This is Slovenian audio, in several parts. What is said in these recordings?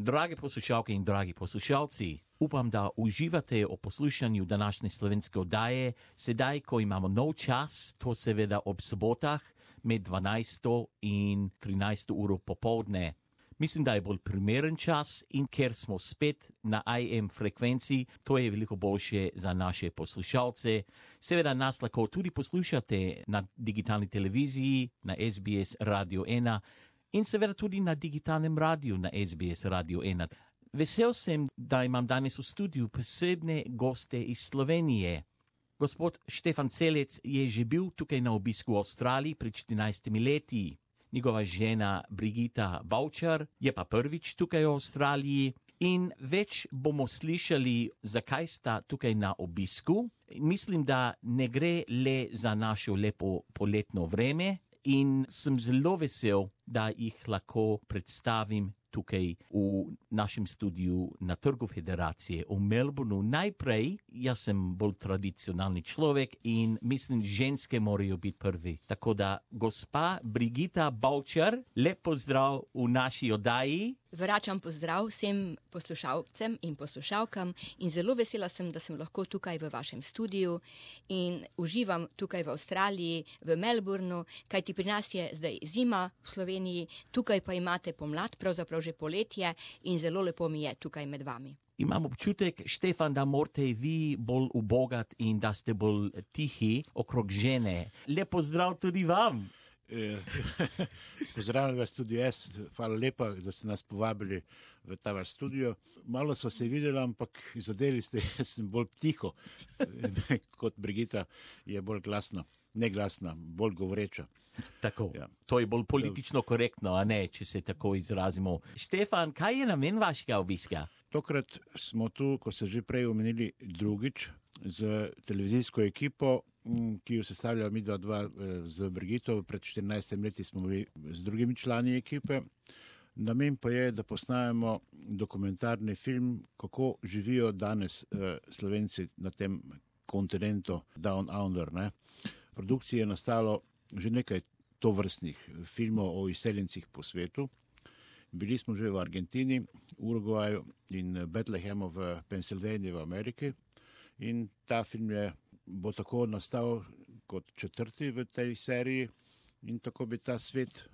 Drage poslušalke in dragi poslušalci, upam, da uživate o poslušanju današnje slovenske oddaje, sedaj, ko imamo nov čas, to seveda ob sobotah, med 12. in 13. uro popoldne. Mislim, da je bolj primeren čas in ker smo spet na AM frekvenci, to je veliko boljše za naše poslušalce. Seveda nas lahko tudi poslušate na digitalni televiziji, na SBS Radio 1 in seveda tudi na digitalnem radiju na SBS Radio 1. Vesel sem, da imam danes v studiu posebne goste iz Slovenije. Gospod Štefan Celec je že bil tukaj na obisku v Avstraliji pred 14 leti. Njegova žena Brigita Bavčar je pa prvič tukaj v Avstraliji in več bomo slišali, zakaj sta tukaj na obisku. Mislim, da ne gre le za našo lepo poletno vreme in sem zelo vesel, da jih lahko predstavim tukaj v našem studiu na Trgu Federacije v Melbourneu. Najprej, jaz sem bolj tradicionalni človek in mislim, ženske morajo biti prvi. Tako da, gospa Brigita Bavčar, lep pozdrav v naši oddaji. Vračam pozdrav vsem poslušalcem in poslušalkam in zelo vesela sem, da sem lahko tukaj v vašem studiu in uživam tukaj v Avstraliji, v Melbourneu, kajti pri nas je zdaj zima v Sloveniji, tukaj pa imate pomlad, pravzaprav že poletje in zelo lepo mi je tukaj med vami. Imam občutek, Štefan, da morate vi bolj ubogati in da ste bolj tihi okrog žene. Lep pozdrav tudi vam. Pozdravljam vas tudi jaz, hvala lepa, da ste nas povabili v ta vaš studio. Malo so se videli, ampak zadeli ste, jaz sem bolj tiho, kot Brigita je bolj glasna, ne glasna, bolj govoreča. Tako, ja. To je bolj politično korektno, a ne, če se tako izrazimo. Štefan, kaj je namen vašega obiska? Tokrat smo tu, ko ste že prej omenili, drugič z televizijsko ekipo, ki jo sestavlja midva z Brigito. Pred 14 leti smo bili z drugimi člani ekipe. Namen pa je, da posnajemo dokumentarni film, kako živijo danes Slovenci na tem kontinentu Down Under. Ne? V produkciji je nastalo že nekaj tovrstnih filmov o izseljencih po svetu. Bili smo že v Argentini, Urugvaju in Bethlehemu v Pensilvaniji v Ameriki. In ta film bo tako nastal kot četrti v tej seriji in tako bi ta svet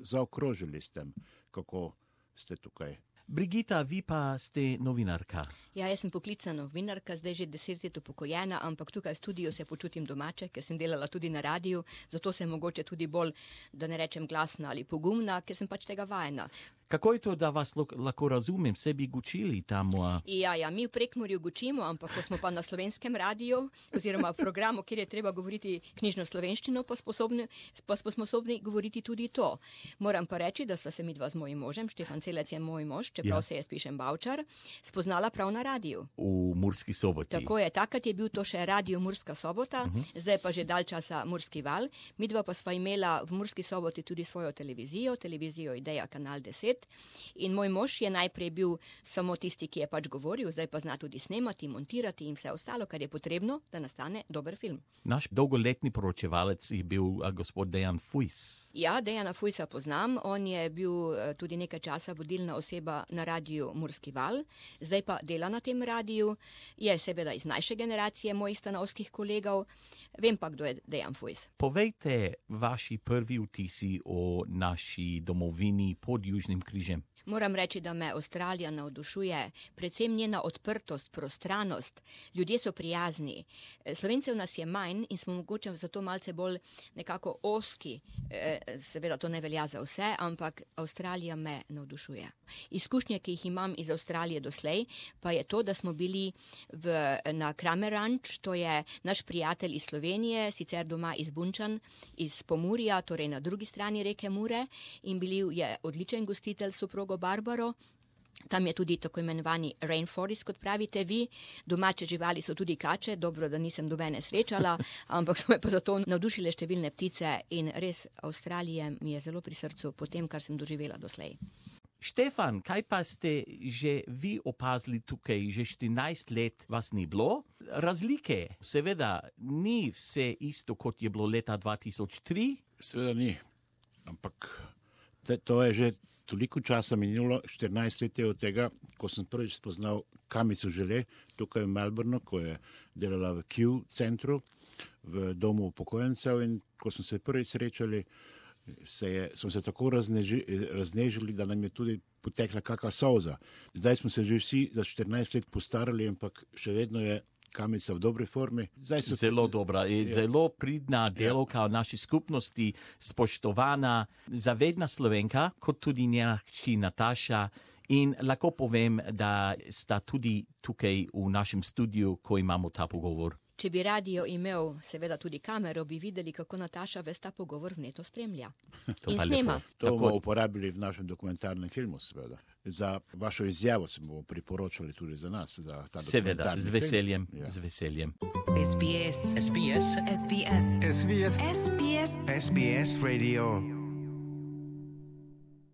zaokrožili s tem, kako ste tukaj. Brigita, vi pa ste novinarka. Ja, jaz sem poklicna novinarka, zdaj že 10 let upokojena, ampak tukaj v studiu se počutim domače, ker sem delala tudi na radiju, zato sem mogoče tudi bolj, da ne rečem glasna ali pogumna, ker sem pač tega vajena. Kako je to, da vas lahko razumem, vse bi gučili tam? Ja, mi v Prekmurju gučimo, ampak ko smo pa na slovenskem radiju, oziroma v programu, kjer je treba govoriti knjižno slovenščino, pa smo sposobni govoriti tudi to. Moram pa reči, da sva se midva z mojim možem, Štefan Celec je moj mož, čeprav se jaz pišem Bavčar, spoznala prav na radiju. V Murski Soboti. Tako je, takrat je bil to še radio Murska Sobota, zdaj pa že dalj časa Murski val. Midva pa sva imela v Murski Soboti tudi svojo televizijo Ideja Kanal 10. In moj mož je najprej bil samo tisti, ki je pač govoril, zdaj pa zna tudi snemati, montirati in vse ostalo, kar je potrebno, da nastane dober film. Naš dolgoletni poročevalec je bil gospod Dejan Fujs. Ja, Dejana Fujsa poznam, on je bil tudi nekaj časa vodilna oseba na radiju Murski val, zdaj pa dela na tem radiju, je seveda iz mlajše generacije mojih stanovskih kolegov, vem pa, kdo je Dejan Fujs. Povejte vaši prvi vtisi o naši domovini pod Južnim križem. Moram reči, da me Avstralija navdušuje, predvsem njena odprtost, prostranost, ljudje so prijazni. Slovencev nas je manj in smo mogoče zato malce bolj nekako ozki, seveda to ne velja za vse, ampak Avstralija me navdušuje. Izkušnje, ki jih imam iz Avstralije doslej, pa je to, da smo bili na Kramer Ranch, to je naš prijatelj iz Slovenije, sicer doma iz Bunčan, iz Pomurja, torej na drugi strani reke Mure, in bil je odličen gostitelj soprogo Barbaro. Tam je tudi tako imenovani rainforest, kot pravite vi. Domače živali so tudi kače, dobro, da nisem nobene srečala, ampak so me pa zato navdušile številne ptice in res Avstralija mi je zelo pri srcu po tem, kar sem doživela doslej. Štefan, kaj pa ste že vi opazili tukaj, že 14 let vas ni bilo? Razlike, seveda, ni vse isto, kot je bilo leta 2003? Seveda ni, ampak to je že toliko časa minulo, 14 let je od tega, ko sem prvič spoznal Kamico Žele, tukaj v Melbourneu, ko je delala v Q centru, v domu upokojencev, in ko smo se prvič srečali, smo se tako raznežili, da nam je tudi potekla kakšna solza. Zdaj smo se že vsi za 14 let postarali, ampak še vedno je Kamica v dobri formi. Zelo dobra, zelo pridna delovka v naši skupnosti, spoštovana, zavedna Slovenka, kot tudi njena hči Nataša. In lahko povem, da sta tudi tukaj v našem studiu, ko imamo ta pogovor. Če bi radio imel seveda tudi kamero, bi videli, kako Nataša ves ta pogovor vneto spremlja. In snema. To bomo uporabili v našem dokumentarnem filmu, seveda. Za vašo izjavo se bomo priporočali tudi za nas, za ta dokumentarni film. Seveda, z veseljem. SBS. SBS. SBS. SBS. SBS. SBS Radio.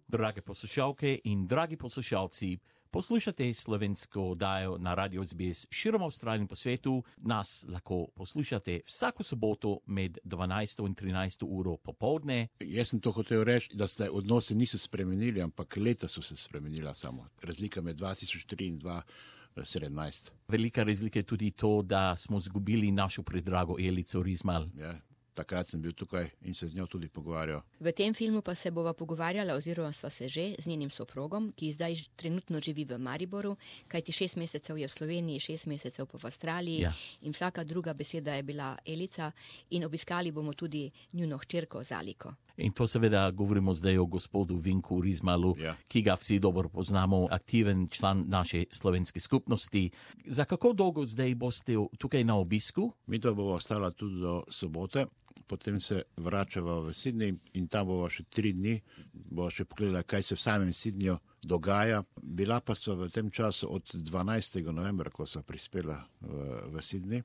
Drage poslušalke in dragi poslušalci, poslušate slovensko oddajo na Radio SBS širom Avstralije in po svetu. Nas lahko poslušate vsako soboto med 12 in 13 uro popoldne. Jaz sem to hotel reči, da se odnose niso spremenili, ampak leta so se spremenila samo. Razlika med 2003 in 2017. Velika razlika je tudi to, da smo zgubili našo predrago Elico Rizmal. Ja. Takrat sem bil tukaj in se z njo tudi pogovarjal. V tem filmu pa se bova pogovarjala, oziroma sva se že z njenim soprogom, ki zdaj trenutno živi v Mariboru, kajti 6 mesecev je v Sloveniji, 6 mesecev pa v Avstraliji. Ja. In vsaka druga beseda je bila Elica, in obiskali bomo tudi njuno hčerko Zaliko. In to seveda govorimo zdaj o gospodu Vinku Rizmalu, Ja. ki ga vsi dobro poznamo, aktiven član naše slovenske skupnosti. Za kako dolgo zdaj boste tukaj na obisku? Mi to bomo ostala tudi do sobote, potem se vračava v Sydney in tam bomo še 3 dni. Bomo še pogledali, kaj se v samem Sydneyju dogaja. Bila pa sva v tem času od 12. novembra, ko sva prispela v Sydney,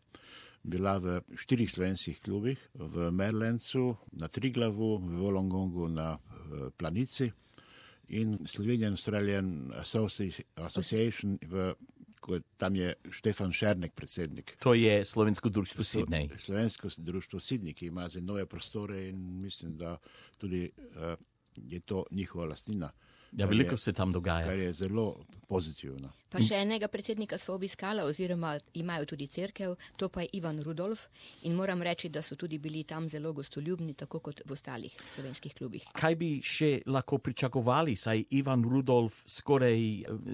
bila v 4 slovenskih klubih, v Merlencu, na Triglavu, v Wollongongu, na Planici in Slovenian Australian Association, tam je Štefan Šernek predsednik. To je Slovensko društvo Sydney. Slovensko društvo Sydney, ki ima zdaj nove prostore in mislim, da tudi je to njihova lastnina. Ja, veliko se tam dogaja. Kar je zelo pozitivno. Pa še enega predsednika sva obiskala, oziroma imajo tudi cerkev, to pa je Ivan Rudolf, in moram reči, da so tudi bili tam zelo gostoljubni, tako kot v ostalih slovenskih klubih. Kaj bi še lahko pričakovali, saj Ivan Rudolf skoraj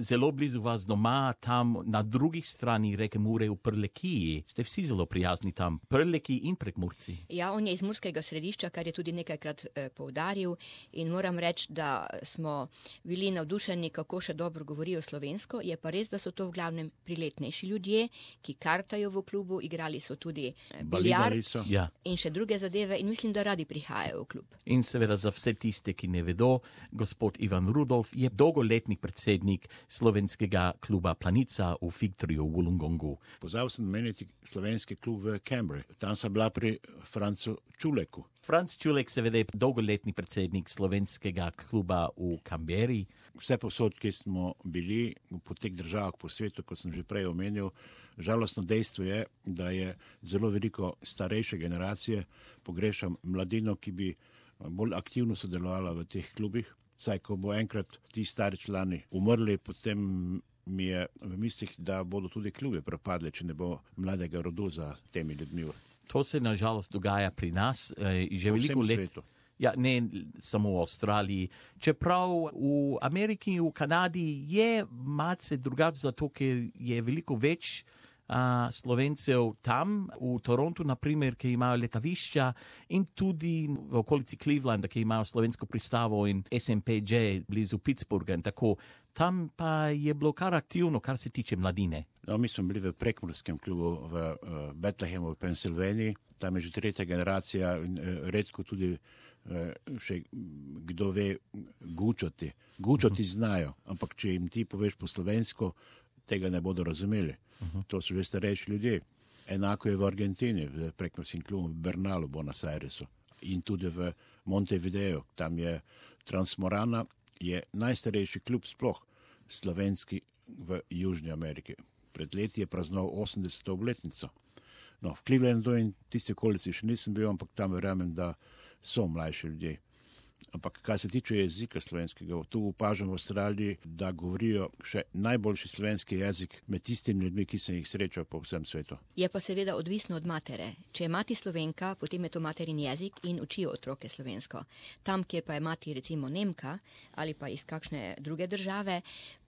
zelo blizu vas doma, tam na drugi strani reke Mure v Prlekiji. Ste vsi zelo prijazni tam, Prleki in Prekmurci. Ja, on je iz Murskega Središča, kar je tudi nekajkrat poudaril, in moram reči, da smo bili navdušeni, kako še dobro govorijo slovensko. Je pa res, da so to v glavnem priletnejši ljudje, ki kartajo v klubu, igrali so tudi biljard Ja. in še druge zadeve, in mislim, da radi prihajajo v klub. In seveda za vse tiste, ki ne vedo, gospod Ivan Rudolf je dolgoletni predsednik slovenskega kluba Planica v Figtriju v Wollongongu. Pozabil sem meniti slovenski klub v Canberri. Tam sem bila pri Francu Čuleku. Franc Čulek seveda je dolgoletni predsednik slovenskega kluba v Canberri. Vse posod, ki smo bili po teh državah po svetu, kot sem že prej omenil, žalostno dejstvo je, da je zelo veliko starejše generacije, pogrešam mladino, ki bi bolj aktivno sodelovala v teh klubih. Saj, ko bo enkrat ti stari člani umrli, potem mi je v mislih, da bodo tudi klubi propadli, če ne bo mladega rodu za temi ljudmi. To se nažalost dogaja pri nas že Po veliko vsem let. svetu. Ja, ne samo v Avstraliji. Čeprav v Ameriki in v Kanadi je malce drugače, zato ker je veliko več Slovencev tam, v Torontu naprimer, ki imajo letavišča, in tudi v okolici Clevelanda, ki imajo slovensko pristavo, in SMPJ blizu Pittsburgha in tako. Tam pa je bilo kar aktivno, kar se tiče mladine. No, mi smo bili v Prekmurskem klubu v Bethlehemu v Pensilvaniji. Tam je že 3. generacija in redko tudi še kdo ve gučati. Gučati znajo, ampak če jim ti poveš po slovensko, tega ne bodo razumeli. To so že starejši ljudje. Enako je v Argentini, v Prekmurskem klubu v Bernalu, Buenos Airesu in tudi v Montevideo. Tam je Transmorana, je najstarejši klub sploh slovenski v Južni Ameriki. Pred leti je praznoval 80. obletnico. No, v Clevelandu in tiste okolici še nisem bil, ampak tam verjamem, da so mlajši ljudje. Ampak kar se tiče jezika slovenskega, tu opažam v Avstraliji, da govorijo še najboljši slovenski jezik med tistimi ljudmi, ki sem jih srečal po vsem svetu. Je pa seveda odvisno od matere. Če je mati Slovenka, potem je to materin jezik in učijo otroke slovensko. Tam, kjer pa je mati recimo Nemka ali pa iz kakšne druge države,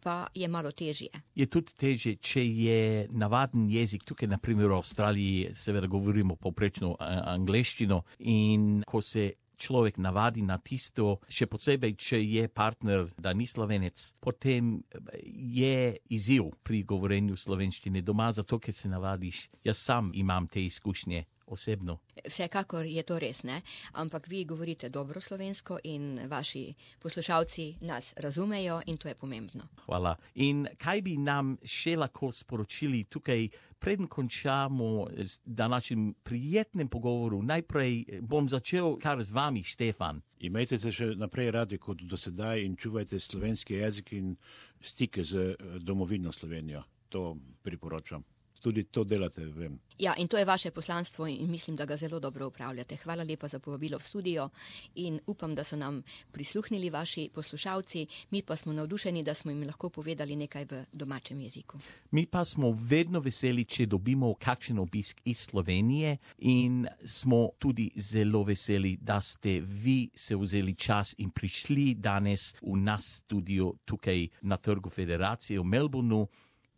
pa je malo težje. Je tudi težje, če je navaden jezik, tukaj naprimer v Avstraliji seveda govorimo povprečno angleščino in ko se človek navadi na tisto, še posebej, če je partner, da ni Slovenec, potem je izziv pri govorenju slovenščine doma, zato ker se navadiš. Jaz sam imam te izkušnje osebno. Vsekakor je to res, ne? Ampak vi govorite dobro slovensko in vaši poslušalci nas razumejo in to je pomembno. Hvala. In kaj bi nam še lahko sporočili tukaj, preden končamo z današnjim prijetnim pogovoru? Najprej bom začel kar z vami, Štefan. Imejte se še naprej radi kot do sedaj in čuvajte slovenski jezik in stike z domovino Slovenijo. To priporočam. Tudi to delate, vem. Ja, in to je vaše poslanstvo in mislim, da ga zelo dobro upravljate. Hvala lepa za povabilo v studio in upam, da so nam prisluhnili vaši poslušalci. Mi pa smo navdušeni, da smo jim lahko povedali nekaj v domačem jeziku. Mi pa smo vedno veseli, če dobimo kakšen obisk iz Slovenije in smo tudi zelo veseli, da ste vi se vzeli čas in prišli danes v nas studio tukaj na Trgu Federacije v Melbourneu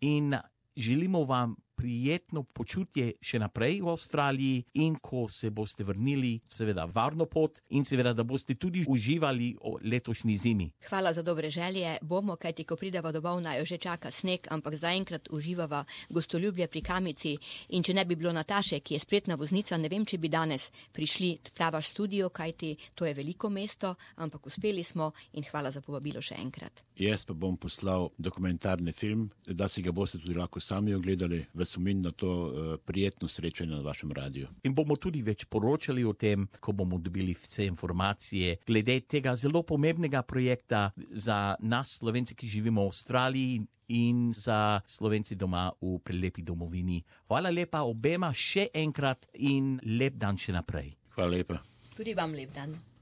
in želimo vam prijetno počutje še naprej v Avstraliji in ko se boste vrnili, seveda varno pot in seveda, da boste tudi uživali o letošnji zimi. Hvala za dobre želje. Bomo, kajti ko prideva domov, naj že čaka sneg, ampak zaenkrat uživava gostoljubje pri Kamici in če ne bi bilo Nataše, ki je spretna voznica, ne vem, če bi danes prišli v ta vaš studio, kajti to je veliko mesto, ampak uspeli smo in hvala za povabilo še enkrat. Jaz pa bom poslal dokumentarni film, da si ga boste tudi lahko sami ogledali v spomin na to prijetno srečanje na vašem radiju. In bomo tudi več poročali o tem, ko bomo dobili vse informacije glede tega zelo pomembnega projekta za nas Slovenci, ki živimo v Avstraliji in za Slovenci doma v prelepi domovini. Hvala lepa obema še enkrat in lep dan še naprej. Hvala lepa. Tudi vam lep dan.